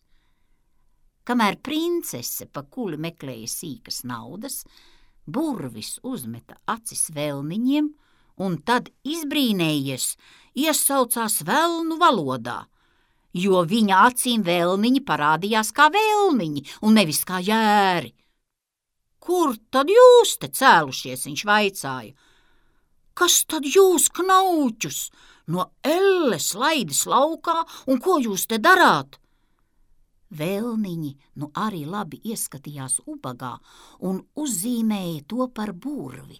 Speaker 1: Kamēr princese pa kuli meklēja sīkas naudas, burvis uzmeta acis vēlniņiem un tad izbrīnējies iesaucās velnu valodā, jo viņa acīm vēlniņi parādījās kā vēlniņi un nevis kā jēri. Kur tad jūs te cēlušies, viņš vaicāja. Kas tad jūs, knauķus, no elles laidis laukā un ko jūs te darāt? Vēlniņi nu arī labi ieskatījās ubagā un uzzīmēja to par burvi,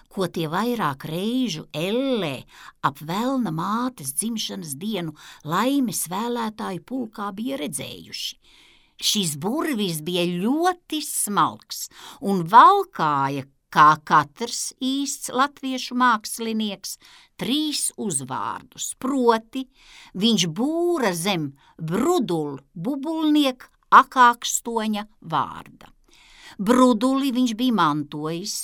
Speaker 1: ko tie vairāk reižu ellē ap velna mātes dzimšanas dienu laimes vēlētāju pulkā bija redzējuši. Šis burvis bija ļoti smalks un valkāja, kā katrs īsts latviešu mākslinieks, 3 uzvārdus, proti viņš būra zem bubulnieka akākstoņa vārda. Bruduli viņš bija mantojis,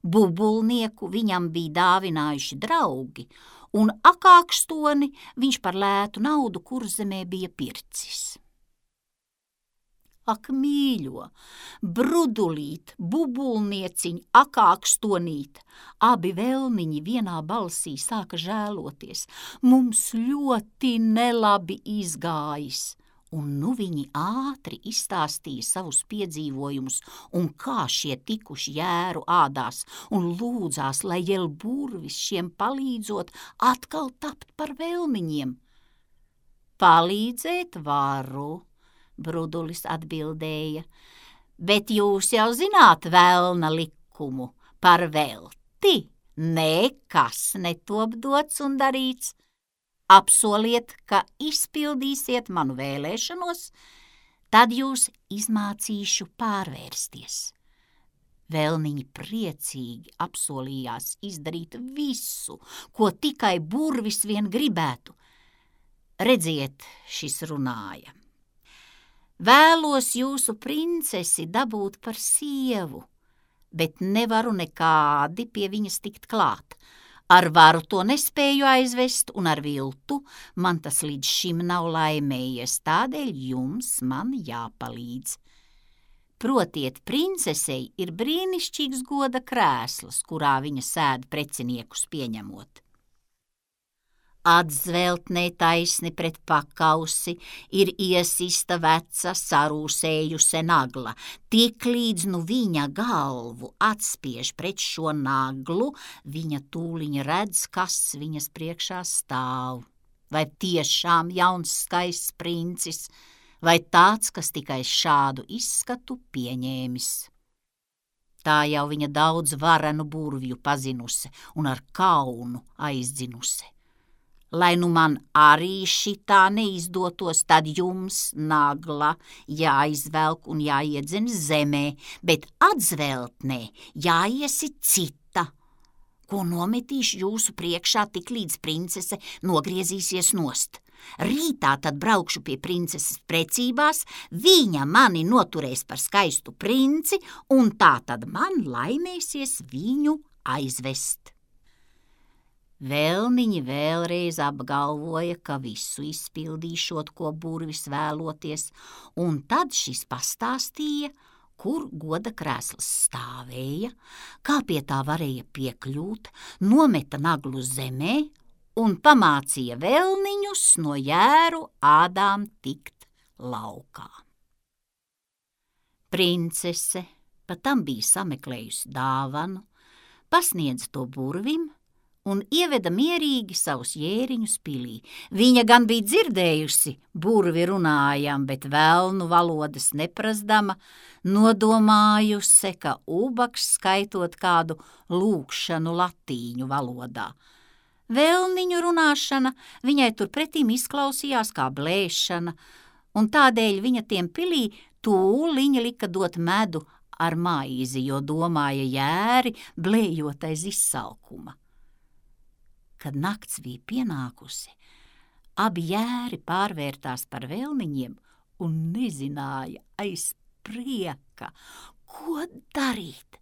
Speaker 1: bubulnieku viņam bija dāvinājuši draugi, un akākstoni viņš par lētu naudu Kurzemē bija pircis. Ak, mīļo, brudulīt, bubulnieciņ, akākstonīt, abi vēlniņi vienā balsī sāka žēloties. Mums ļoti nelabi izgājis. Un nu viņi ātri izstāstīja savus piedzīvojumus un kā šie tikuši jēru ādās un lūdzās, lai jel burvis šiem palīdzot atkal tapt par vēlniņiem. Palīdzēt varu, Brudulis atbildēja, bet jūs jau zināt velna likumu, par velti nekas netop dots un darīts. Apsoliet, ka izpildīsiet manu vēlēšanos, tad jūs izmācīšu pārvērsties. Vēlniņi priecīgi apsolījās izdarīt visu, ko tikai burvis vien gribētu. Redziet, šis runāja. Vēlos jūsu princesi dabūt par sievu, bet nevaru nekādi pie viņas tikt klāt. Ar varu to nespēju aizvest, un ar viltu man tas līdz šim nav laimējies, tādēļ jums man jāpalīdz. Protiet, princesei ir brīnišķīgs goda krēsls, kurā viņa sēd preciniekus pieņemot. Atzveltnē taisni pret pakausi ir iesista veca sarūsējusi nagla, tik līdz nu viņa galvu atspiež pret šo naglu, viņa tūliņ redz, kas viņas priekšā stāv. Vai tiešām jauns skaists princis, vai tāds, kas tikai šādu izskatu pieņēmis. Tā jau viņa daudz varenu burvju pazinusi un ar kaunu aizdzinusi. Lai nu man arī šitā neizdotos, tad jums nagla jāizvelk un jāiedzen zemē, bet atzveltnē jāiesit cita, ko nometīšu jūsu priekšā tik līdz princese nogriezīsies nost. Rītā tad braukšu pie princeses precībās, viņa mani noturēs par skaistu princi, un tā tad man laimēsies viņu aizvest. Vēlniņi vēlreiz apgalvoja, ka visu izpildīšot, ko burvis vēloties, un tad šis pastāstīja, kur goda krēsls stāvēja, kā pie tā varēja piekļūt, nometa naglu zemē un pamācīja vēlniņus no jēru ādām tikt laukā. Princese patam bija sameklējusi dāvanu, pasniedza to burvim un ieveda mierīgi savus jēriņus pilī. Viņa gan bija dzirdējusi burvi runājam, bet velnu valodas neprasdama, nodomājusi, ka ubaks skaitot kādu lūkšanu latīņu valodā. Vēlniņu runāšana viņai turpretīm izklausījās kā blēšana, un tādēļ viņa tiem pilī tūliņa lika dot medu ar maizi, jo domāja jēri blējot aiz izsalkuma. Kad nakts bija pienākusi, Abi jēri pārvērtās par velniņiem un nezināja aiz prieka, ko darīt.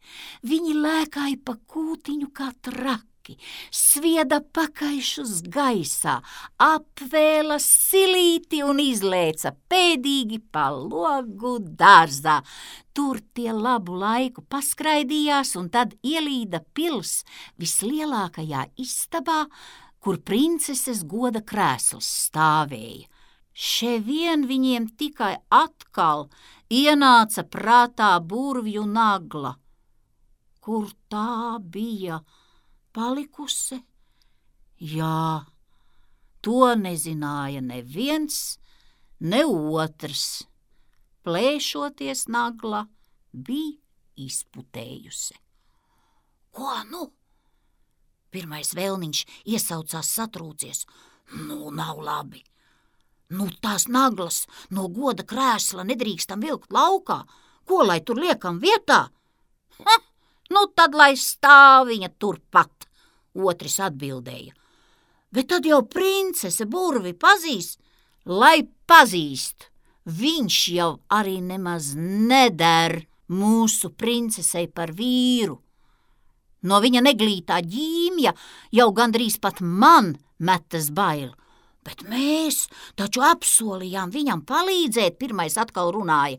Speaker 1: Viņi lēkāja pa kūtiņu kā traki, svieda pakaišus gaisā, apvēla silīti un izlēca pēdīgi pa logu dārzā. Tur tie labu laiku paskraidījās un tad ielīda pils vislielākajā istabā, kur princeses goda krēsls stāvēja. Ševien viņiem tikai atkal ienāca prātā burvju nagla. Kur tā bija palikusi? Jā, to nezināja neviens, ne otrs. Plēšoties nagla bija izputējusi. Ko nu? Pirmais vēlniņš iesaucās satrūcies. Nu, nav labi. Nu, tās naglas no goda krēsla nedrīkstam vilkt laukā. Ko lai tur liekam vietā? Nu, tad lai stāv viņa turpat, otrs atbildēja. Bet tad jau princese burvi pazīst. Lai pazīst, viņš jau arī nemaz neder mūsu princesei par vīru. No viņa neglītā ģīmja jau gandrīz pat man metas bail. Bet mēs taču apsolījām viņam palīdzēt, pirmais atkal runāja,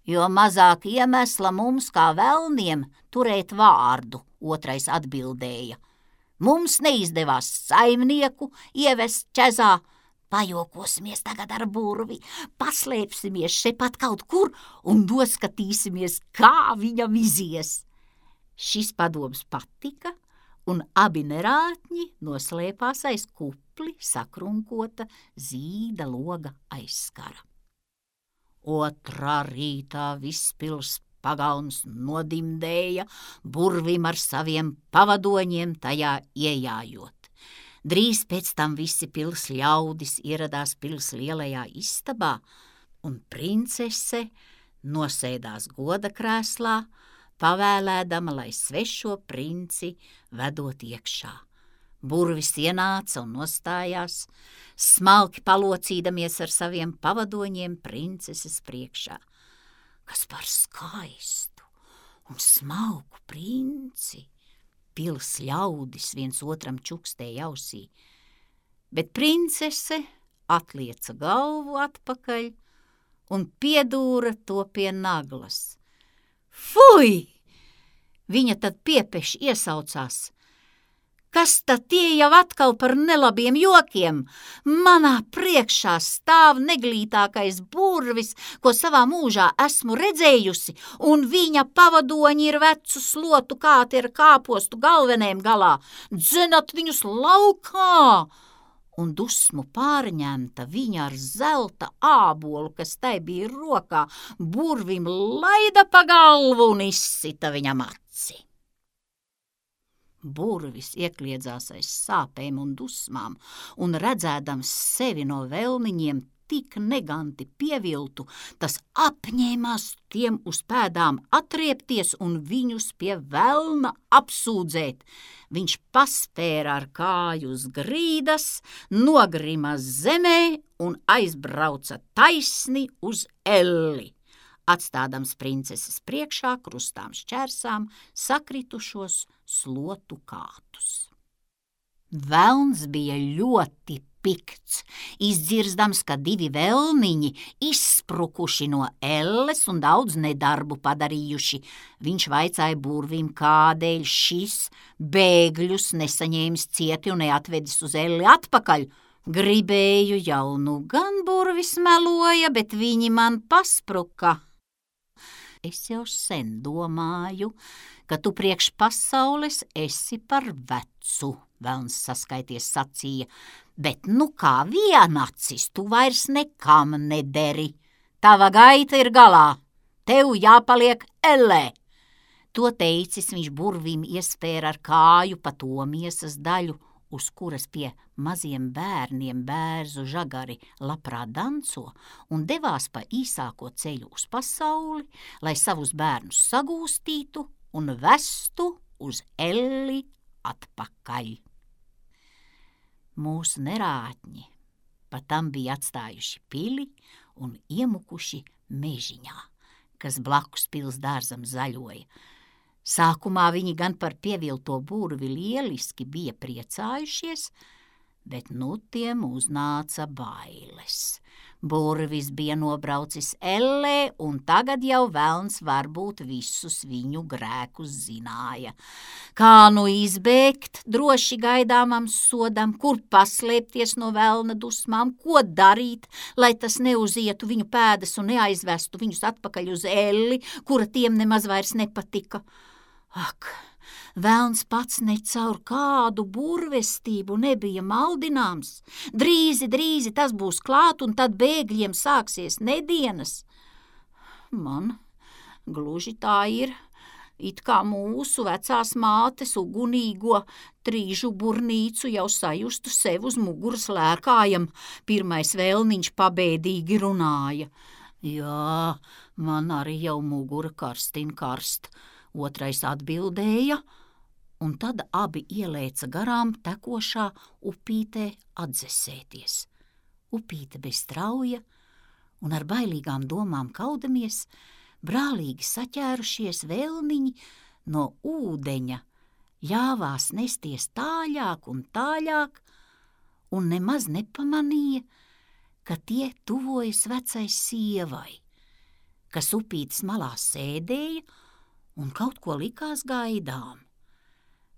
Speaker 1: jo mazāk iemesla mums kā velniem turēt vārdu, otrais atbildēja. Mums neizdevās saimnieku ievest ķezā, pajokosimies tagad ar burvi, paslēpsimies šepat kaut kur un doskatīsimies, kā viņam izies. Šis padoms patika, un abi nerātņi noslēpās aiz kupli sakrunkota zīda loga aizskara. Otrā rītā viss pils pagalms nodimdēja, burvim ar saviem pavadoņiem tajā iejājot. Drīz pēc tam visi pils ļaudis ieradās pils lielajā istabā, un princese nosēdās goda krēslā, pavēlēdama, lai svešo princi vedot iekšā. Burvis ienāca un nostājās, smalki palocīdamies ar saviem pavadoņiem princeses priekšā. Kas par skaistu un smalku princi, pils ļaudis viens otram čukstēja ausī, bet princese atlieca galvu atpakaļ un piedūra to pie naglas. Fui! Viņa tad piepeši iesaucās. Kas tad tie jau atkal par nelabiem jokiem? Manā priekšā stāv neglītākais burvis, ko savā mūžā esmu redzējusi, un viņa pavadoņi ir vecu slotu kāti ar kāpostu galvenajam galā. Dzenat viņus laukā! Un dusmu pārņemta viņa ar zelta ābolu, kas tai bija rokā, burvim laida pa galvu un izsita viņam aci. Burvis iekliedzās aiz sāpēm un dusmām, un redzēdams sevi no velniņiem tik neganti pieviltu, tas apņēmās tiem uz pēdām atriepties un viņus pie velna apsūdzēt. Viņš paspēra ar kāju uz grīdas, nogrima zemē un aizbrauca taisni uz elli, atstādams princeses priekšā krustām šķērsām sakritušos slotu kātus. Velns bija ļoti pikts, izdzirzdams, ka divi velniņi izsprukuši no elles un daudz nedarbu padarījuši. Viņš vaicāja burvim, kādēļ šis bēgļus nesaņēmis cieti un neatvedis uz elli atpakaļ. Gribēju jau nu gan burvis meloja, bet viņi man paspruka. Es jau sen domāju, ka tu priekš pasaules esi par vecu, velns saskaities sacīja, bet nu kā vienacis tu vairs nekam nederi. Tava gaita ir galā, tev jāpaliek ellē. To teicis viņš burvim iespēra ar kāju pa to miesas daļu, uz kuras pie maziem bērniem bērzu žagari labprāt danco un devās pa īsāko ceļu uz pasauli, lai savus bērnus sagūstītu un vestu uz elli atpakaļ. Mūsu nerātņi pa tam bija atstājuši pili un iemukuši mežiņā, kas blakus pils dārzam zaļoja. Sākumā viņi gan par pievilto burvi lieliski bija priecājušies, bet nu tiem uznāca bailes. Burvis bija nobraucis ellē, un tagad jau velns varbūt visus viņu grēkus zināja. Kā nu izbēgt droši gaidāmam sodam, kur paslēpties no velna dusmām, ko darīt, lai tas neuzietu viņu pēdas un neaizvestu viņus atpakaļ uz elli, kura tiem nemaz vairs nepatika. Ak, velns pats ne caur kādu burvestību nebija maldināms. Drīzi tas būs klāt, un tad bēgļiem sāksies nedienas. Man gluži tā ir, it kā mūsu vecās mātes ugunīgo trīžu burnīcu jau sajustu sev uz muguras lēkājam, pirmais vēlniņš pabēdīgi runāja. Jā, man arī jau mugura karstin karst. Otrais atbildēja, un tad abi ielēca garām tekošā upītē atdzesēties. Upīte bez strauja un ar bailīgām domām kaudamies, brālīgi saķērušies vēlniņi no ūdeņa, ļāvās nesties tāļāk un tāļāk, un nemaz nepamanīja, ka tie tuvojas vecai sievai, kas upītes malā sēdēja un kaut ko likās gaidām.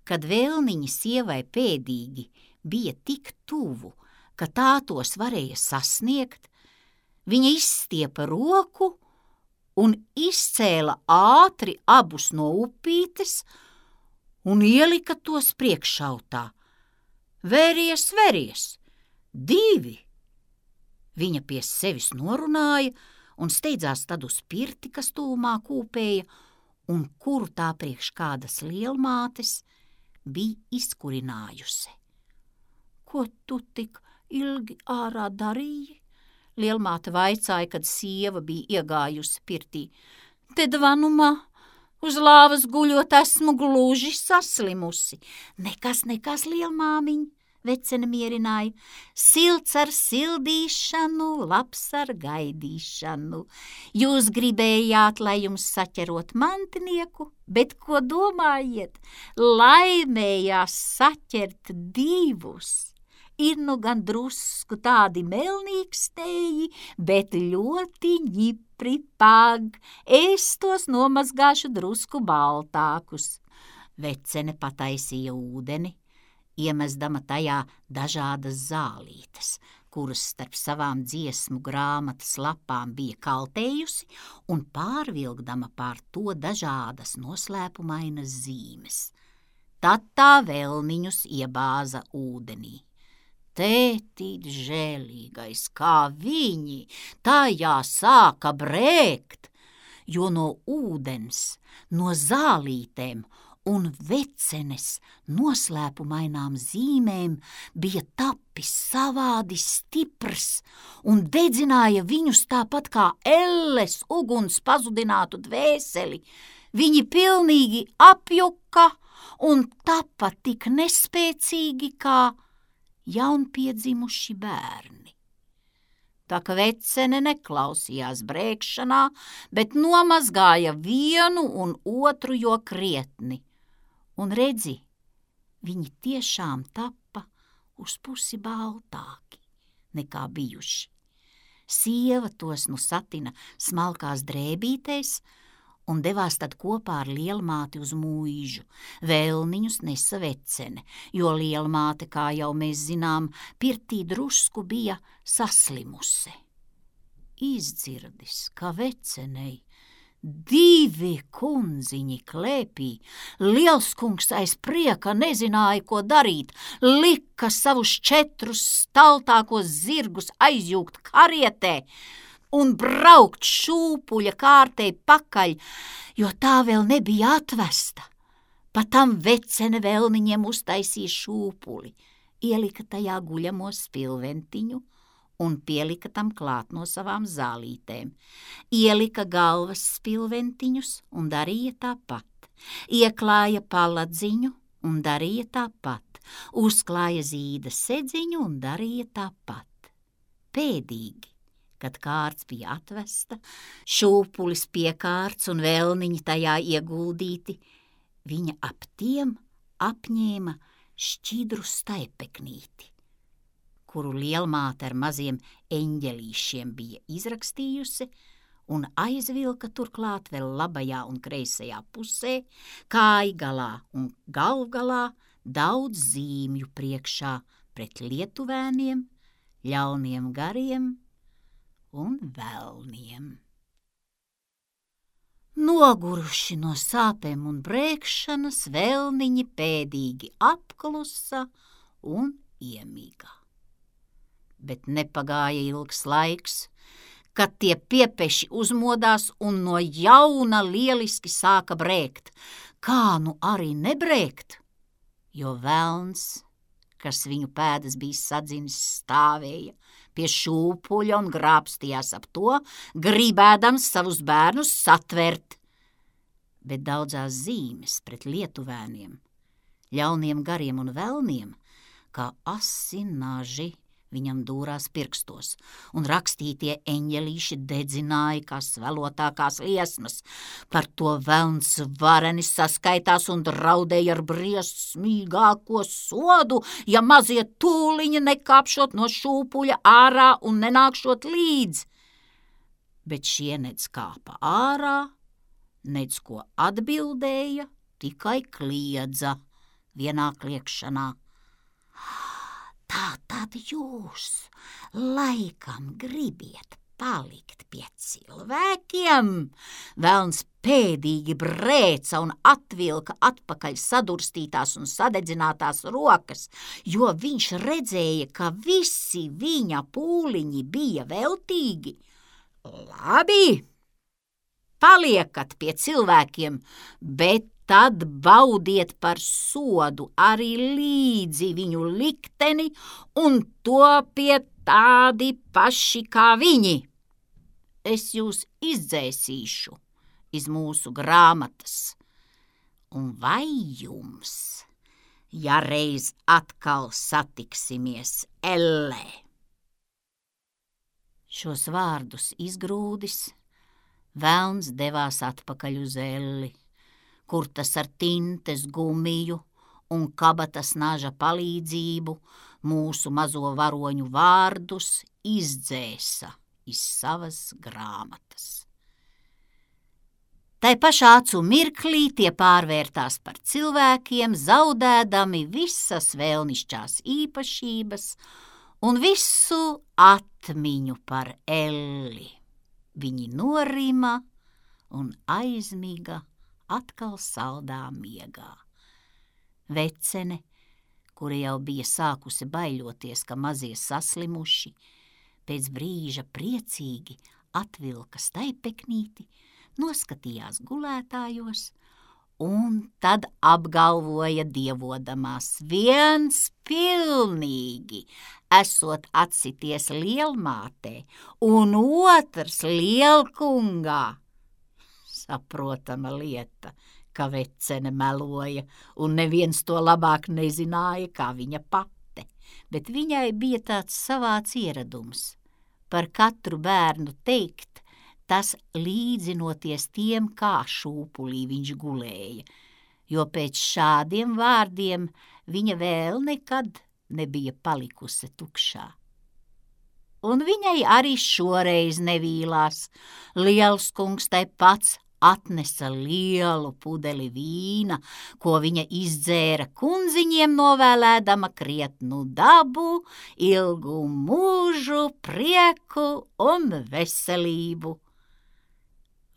Speaker 1: Kad vēlniņi sievai pēdīgi bija tik tuvu, ka tā tos varēja sasniegt, viņa izstiepa roku un izcēla ātri abus no upītes un ielika tos priekšautā. Veries, 2! Viņa pie sevis norunāja un steidzās tad uz pirti, kas tūmā kūpēja, un kuru tā priekš kādas lielmātes bija izkurinājusi. Ko tu tik ilgi ārā darīji? Lielmāte vaicāja, kad sieva bija iegājusi pirtī. Te dvanumā, uz lāvas guļot, esmu gluži saslimusi. Nekas, lielmāmiņ, vecene mierināja. Silts ar sildīšanu, labs ar gaidīšanu. Jūs gribējāt, lai jums saķerot mantinieku, bet ko domājiet? Laimējās saķert 2. Ir nu gan drusku tādi melnīkstēji, bet ļoti ņipri pag. Es tos nomazgāšu drusku baltākus. Vecene pataisīja ūdeni, iemesdama tajā dažādas zālītes, kuras starp savām dziesmu grāmatas lapām bija kaltējusi, un pārvilkdama pār to dažādas noslēpumainas zīmes. Tad tā vēlniņus iebāza ūdenī. Tētīt žēlīgais, kā viņi tajā sāka brēkt, jo no ūdens, no zālītēm un vecenes noslēpumainām zīmēm bija tapis savādi stiprs un dedzināja viņus tāpat kā elles uguns pazudinātu dvēseli. Viņi pilnīgi apjuka un tapa tik nespēcīgi kā jaunpiedzimuši bērni. Tā ka vecene neklausījās brēkšanā, bet nomazgāja vienu un otru jo krietni. Un redzi, viņi tiešām tapa uz pusi baltāki nekā bijuši. Sieva tos nu satina smalkās drēbītēs un devās tad kopā ar lielmāti uz mūižu. Vēlniņus nesa vecene, jo lielmāte, kā jau mēs zinām, pirtī drusku bija saslimuse. Izdzirdis, ka vecenei 2 kundziņi klēpī, lielskungs aiz prieka nezināja, ko darīt, lika savus 4 staltākos zirgus aizjūgt karietē un braukt šūpuļa kārtei pakaļ, jo tā vēl nebija atvesta. Patam vecene vēlniņiem uztaisīja šūpuli, ielika tajā guļamo spilventiņu un pielika tam klāt no savām zālītēm. Ielika galvas spilventiņus un darīja tāpat. Ieklāja paladziņu un darīja tāpat. Uzklāja zīda sedziņu un darīja tāpat. Pēdīgi, kad kārts bija atvesta, šūpulis pie kārts un vēlniņi tajā ieguldīti, viņa ap tiem apņēma šķidru staipeknīti, kuru lielmāte ar maziem eņģelīšiem bija izrakstījusi un aizvilka turklāt vēl labajā un kreisajā pusē, kājgalā un galvgalā daudz zīmju priekšā pret lietuvēniem, ļauniem gariem un velniem. Noguruši no sāpēm un brēkšanas, vēlniņi pēdīgi apklusa un iemīga. Bet nepagāja ilgs laiks, kad tie piepeši uzmodās un no jauna lieliski sāka brēkt, kā nu arī nebrēkt, jo velns, kas viņu pēdas bija sadzinis, stāvēja pie šūpuļa un grābstījās ap to, gribēdams savus bērnus satvert. Bet daudzās zīmes pret lietuvēniem, ļauniem gariem un velniem, kā asi naži, viņam dūrās pirkstos, un rakstītie eņģelīši dedzināja kā svelotākās liesmas. Par to velns vareni saskaitās un draudēja ar briesmīgāko sodu, ja mazie tūliņi nekāpšot no šūpuļa ārā un nenākšot līdz. Bet šie nedz kāpa ārā, nedz ko atbildēja, tikai kliedza vienā kliekšanā. Tā tad jūs laikam gribiet palikt pie cilvēkiem? Velns pēdīgi brēca un atvilka atpakaļ sadurstītās un sadedzinātās rokas, jo viņš redzēja, ka visi viņa pūliņi bija veltīgi. Labi, paliekat pie cilvēkiem, bet tad baudiet par sodu arī līdzi viņu likteni un topiet tādi paši kā viņi. Es jūs izdzēsīšu iz mūsu grāmatas. Un vai jums, ja reiz atkal satiksimies ellē? Šos vārdus izgrūdis, velns devās atpakaļ uz elli, kur tas ar tintes gumiju un kabatas naža palīdzību mūsu mazo varoņu vārdus izdzēsa iz savas grāmatas. Tai pašā acu mirklī tie pārvērtās par cilvēkiem, zaudēdami visas vēlnišķās īpašības un visu atmiņu par elli. Viņi norima un aizmiga atkal saldā miegā. Vecene, kura jau bija sākusi baiļoties, ka mazie saslimuši, pēc brīža priecīgi atvilka staipeknīti, noskatījās gulētājos un tad apgalvoja dievodamās, viens pilnīgi esot atsities lielmātē un otrs lielkungā. Saprotama lieta, ka vecene meloja, un neviens to labāk nezināja kā viņa pate, bet viņai bija tāds savāds ieradums par katru bērnu teikt, tas līdzinoties tiem, kā šūpulī viņš gulēja, jo pēc šādiem vārdiem viņa vēl nekad nebija palikusi tukšā. Un viņai arī šoreiz nevīlās. Liels kungs tai pats atnesa lielu pudeli vīna, ko viņa izdzēra kundziņiem novēlēdama krietnu dabu, ilgu mūžu, prieku un veselību.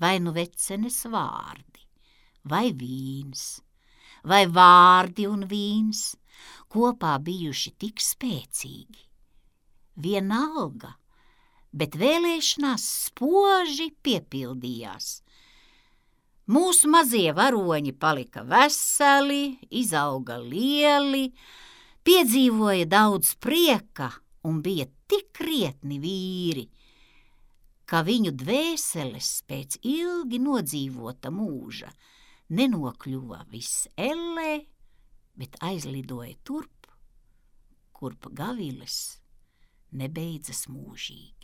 Speaker 1: Vai nu vecenes vārdi, vai vīns, vai vārdi un vīns kopā bijuši tik spēcīgi. Vienalga, bet vēlēšanās spoži piepildījās. Mūsu mazie varoņi palika veseli, izauga lieli, piedzīvoja daudz prieka un bija tik krietni vīri, ka viņu dvēseles pēc ilgi nodzīvota mūža nenokļuva viss ellē, bet aizlidoja turp, kurp gaviles nebeidzas mūžīgi.